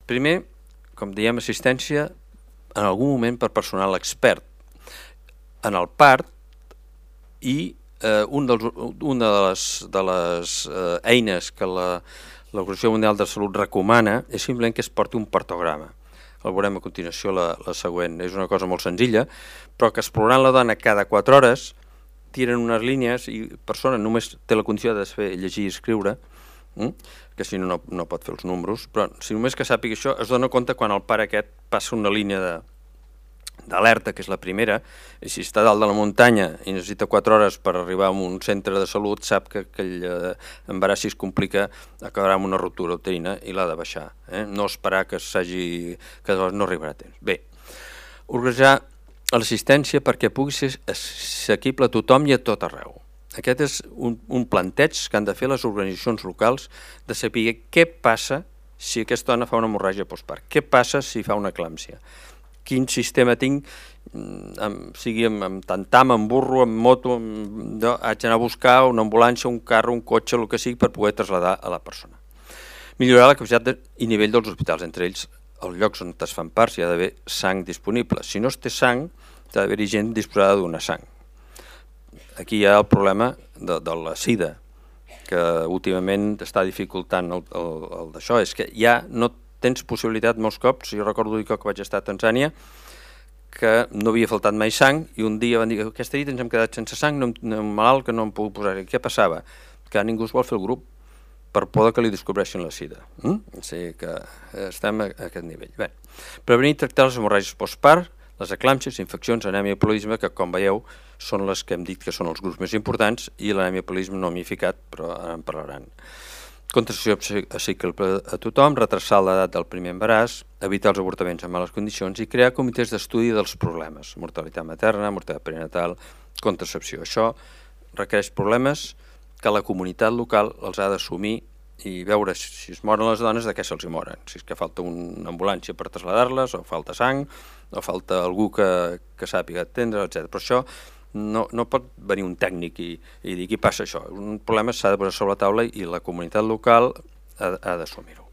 Primer, com diem, assistència en algun moment per personal expert en el part, i una de les eines que l'Organització Mundial de Salut recomana és simplement que es porti un partograma. El veurem a continuació la següent. És una cosa molt senzilla, però que explorant la dona cada 4 hores tiren unes línies i la persona només té la condició de fer llegir i escriure, que si no pot fer els números, però si només que sàpiga això es dona compte quan el pare aquest passa una línia d'alerta, que és la primera, i si està dalt de la muntanya i necessita 4 hores per arribar a un centre de salut, sap que aquell embaràs, si es complica, acabarà amb una ruptura uterina i l'ha de baixar. No esperar que no arribarà a temps. Bé, organitzar l'assistència perquè pugui ser assequible a tothom i a tot arreu. Aquest és un planteig que han de fer les organitzacions locals de saber què passa si aquesta dona fa una hemorràgia postpart, què passa si fa una eclàmpsia, quin sistema tinc, sigui amb tantam, amb burro, amb moto, haig d'anar a buscar una ambulància, un carro, un cotxe, el que sigui, per poder traslladar a la persona. Millorar la capacitat i nivell dels hospitals, entre ells els llocs on es fan parts hi ha d'haver sang disponible. Si no es té sang, ha d'haver-hi gent disposada a donar sang. Aquí hi ha el problema de la sida, que últimament està dificultant el d'això, és que ja no tens possibilitat molts cops. Jo recordo que vaig estar a Tanzània, que no havia faltat mai sang, i un dia van dir que aquesta nit ens hem quedat sense sang, un malalt que no em puc posar. Què passava? Que ningú es vol fer el grup per por que li descobreixin la sida. O sigui que estem a aquest nivell. Bé, prevenir i tractar les hemorràgies postpart, les eclàmpsies, infeccions, anèmia i poliisme, que com veieu són les que hem dit que són els grups més importants, i l'anèmia i poliisme no m'hi he ficat, però ara en parlaran. Contracepció assequible a tothom, retrasar l'edat del primer embaràs, evitar els avortaments en males condicions i crear comitès d'estudi dels problemes, mortalitat materna, mortalitat perinatal, contracepció. Això requereix problemes que la comunitat local els ha d'assumir i veure si es moren les dones, de què se'ls moren. Si és que falta una ambulància per traslladar-les, o falta sang, o falta algú que sàpiga atendre, etc. Però això no pot venir un tècnic i dir què passa això. Un problema s'ha de posar sobre la taula i la comunitat local ha d'assumir-ho.